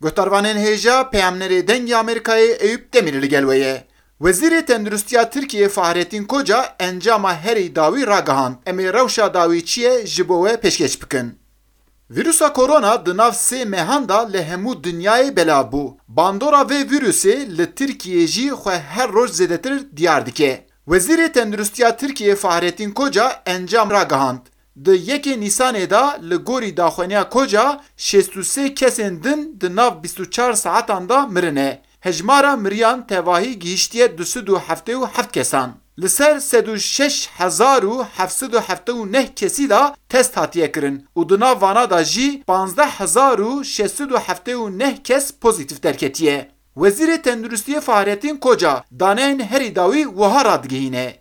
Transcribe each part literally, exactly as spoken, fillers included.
Guhdarvanên hêja, peyamnerê Dengê Amerîkayê Eyûp Demîr li gel we ye. Wezîrê Tenduristiya Tirkiyê Fahrettin Koca encama herî dawî ragihand. Em ê rewşa dawî çi ye ji bo we pêşkêş bikin. Vîrusa korona di nav sê mehan de li hemû dinyayê belav bû. Bandora vê vîrusê li Tirkiyê jî xwe her roj zêdetir diyar dike. Wezîrê Tenduristiya Tirkiyê Fahrettin Koca encam ragihand. Di yekê Nîsanê de li gorî daxwaniya Koca şêst û sê kesên din di nav bîst û çar saetan de mirine. Hejmara miriyan tevahî gihiştiye du sed û heftê û heft kesan. Li ser sed û şeş hezar û heft sed û heftê û neh kesî de test hatiye kirin û di nav vana de jî panzdeh hezar û şeş sed û heftê û neh kes pozîtîf derketiye. Wezîrê Tenduristiyê Fahrettin Koca daneyên herî dawî wiha radigihîne.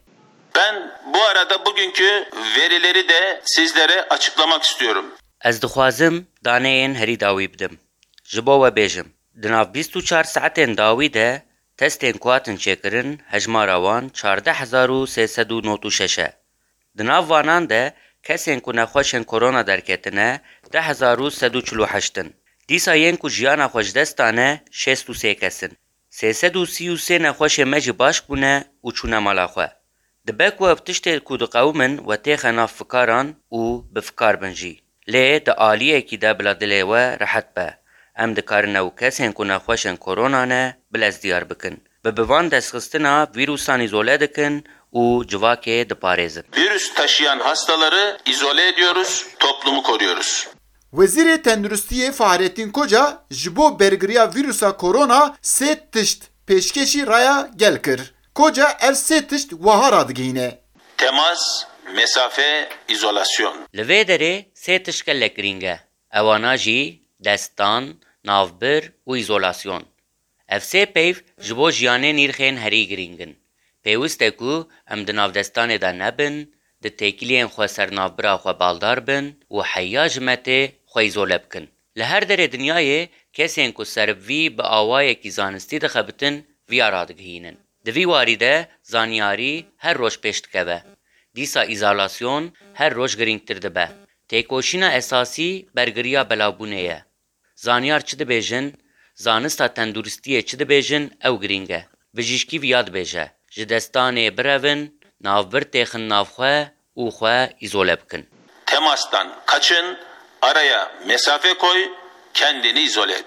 Ben bu arada bugünkü verileri de sizlere açıklamak istiyorum. Ez dixwazim daneyên herî dawî bidim. Ji bo we bêjim, di nav bîst û çar saetên dawî de testên ku hatin çêkirin hejmara wan çardeh hezar û sê sed û nod û şeş e. Di nav vanan de kesên ku nexweşên korona derketine deh hezar û sed û çil û heşt in. Dîsa yên ku jiyana xwe ji dest dane şêst û sê kes in. Sê sed û sî û sê nexweşê me jî baş bûne û çûne mala xwe. Dibe ku ev tiştê ku diqewimin we têxe nav fikaran û bi fikar bin jî. Lê di aliyekî de bila dilê we rehet be. Em dikarin ew kesên ku nexweşên korona ne bi lez diyar bikin. Bi bi van destxistina vîrusan îzole dikin û civakê diparêzin. Virüs taşıyan hastaları izole ediyoruz, toplumu koruyoruz. Wezîrê Tenduristiyê Fahrettin Koca ji bo bergiriya vîrusa korona sê tişt pêşkêşî raya gel kir. Koca ev sê tişt wiha radigihîne. Temas, mesafe, izolasyon. Li vê derê sê tişt gelek girîng e. Ewana jî destdan, navbir û îzolasyon. Ev sê peyv ji bo jiyanê nîrxên herî girîng in. Pêwist e ku em di nav destanê de nebin, di têkiliyên xwe ser navbira xwe baldar bin û heya ji me tê xwe îzole bikin. Li her derê dinyayê kesên ku ser vî bi awayekî zanistî dixebitin viya radigihînin. Di vî warî de zanyarî her roj pêş dikeve. Dîsa îzolasyon her roj girîngtir dibe. Têkoşîna esasî bergiriya belavbûnê ye. Zanyar çi dibêjin, zanista tenduristiyê çi dibêjin ew girîng e. Bijîşkî viya dibêje, ji destanê birevin, navbir têxin nav xwe û xwe îzole bikin. Temastan kaçın, araya mesafe koy, kendini izole et.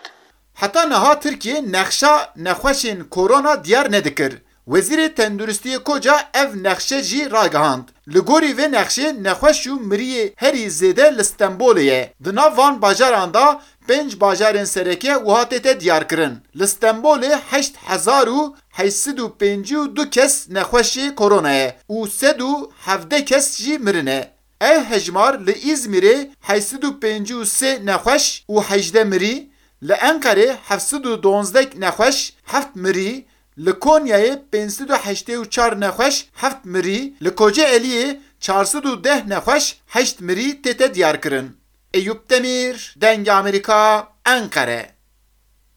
Heta niha Tirkiye nexşa nexweşên korona diyar nedikir. Wezîrê Tenduristiyê Koca ev nexşe jî ragihand. Li gorî vê nexşê nexweş û miriyê herî zêde li Stenbolê ye. Di nav van bajaran de pênc bajarên sereke wiha tête diyarkirin. Li Stenbolê heşt hezar û heşt sed û pêncî û du kes nexweşê korona ye û sed û hevdeh kes jî mirine. Ev hejmar li Îzmîrê heşt sed û pêncî û sê nexweş û hejdeh mirî, li Enqerê heft sed û duwazdeh nexweş, heft mirî, li Konyayê pênc sed û heştê û çar nexweş, heft mirî, li Kocaeliyê çar sed û deh nexweş, heşt mirî tête diyarkirin. Eyûp Demîr, Dengê Amerîka, Enqere.